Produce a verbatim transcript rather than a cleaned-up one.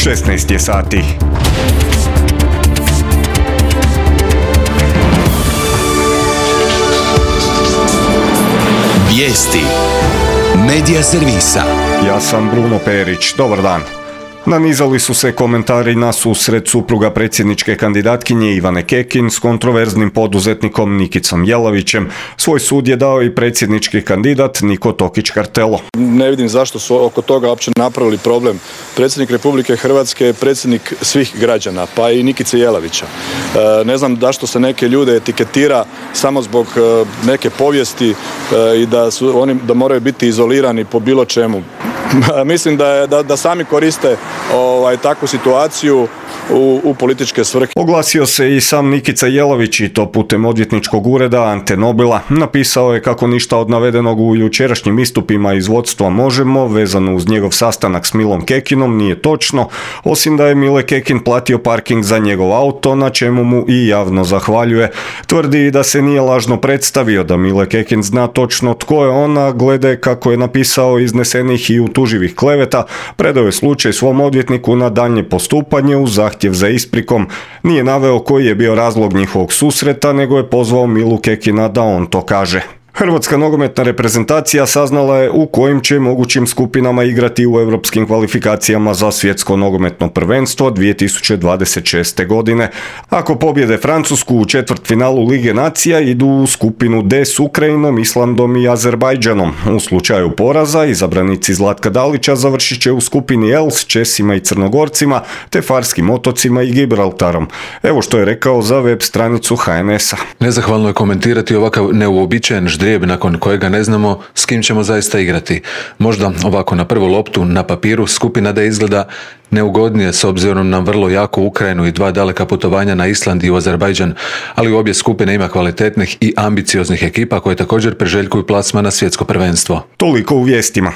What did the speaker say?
šesnaest je sati. Vijesti Medija servisa. Ja sam Bruno Perić. Dobar dan. Nanizali su se komentari na susret supruga predsjedničke kandidatkinje Ivane Kekin s kontroverznim poduzetnikom Nikicom Jelavićem. Svoj sud je dao i predsjednički kandidat Niko Tokić-Kartelo. Ne vidim zašto su oko toga uopće napravili problem. Predsjednik Republike Hrvatske je predsjednik svih građana, pa i Nikice Jelavića. Ne znam zašto se neke ljude etiketira samo zbog neke povijesti i da su oni da moraju biti izolirani po bilo čemu. Mislim da, je, da, da sami koriste ovaj, takvu situaciju u, u političke svrhe. Oglasio se i sam Nikica Jelavić i to putem odvjetničkog ureda Ante Nobila. Napisao je kako ništa od navedenog u jučerašnjim istupima iz vodstva Možemo vezano uz njegov sastanak s Milom Kekinom nije točno, osim da je Mile Kekin platio parking za njegov auto, na čemu mu i javno zahvaljuje. Tvrdi da se nije lažno predstavio, da Mile Kekin zna točno tko je ona, glede kako je napisao iznesenih i utuživih kleveta, predao je slučaj svom odvjetniku na daljnje postupanje uz zahtjev za isprikom. Nije naveo koji je bio razlog njihovog susreta, nego je pozvao Milu Kekina da on to kaže. Hrvatska nogometna reprezentacija saznala je u kojim će mogućim skupinama igrati u europskim kvalifikacijama za svjetsko nogometno prvenstvo dvije tisuće dvadeset šeste. godine. Ako pobjede Francusku u četvrtfinalu Lige nacija, idu u skupinu D s Ukrajinom, Islandom i Azerbajdžanom. U slučaju poraza, izabranici Zlatka Dalića završit će u skupini L s Česima i Crnogorcima, te Farskim otocima i Gibraltarom. Evo što je rekao za web stranicu H N S-a. Nezahvalno je komentirati ovakav neuobičajen ždrijeb nakon kojega ne znamo s kim ćemo zaista igrati. Možda ovako na prvu loptu na papiru skupina D izgleda neugodnije s obzirom na vrlo jaku Ukrajinu i dva daleka putovanja na Island i u Azerbajdžan, ali u obje skupine ima kvalitetnih i ambicioznih ekipa koje također priželjkuju plasman na svjetsko prvenstvo. Toliko u vijestima.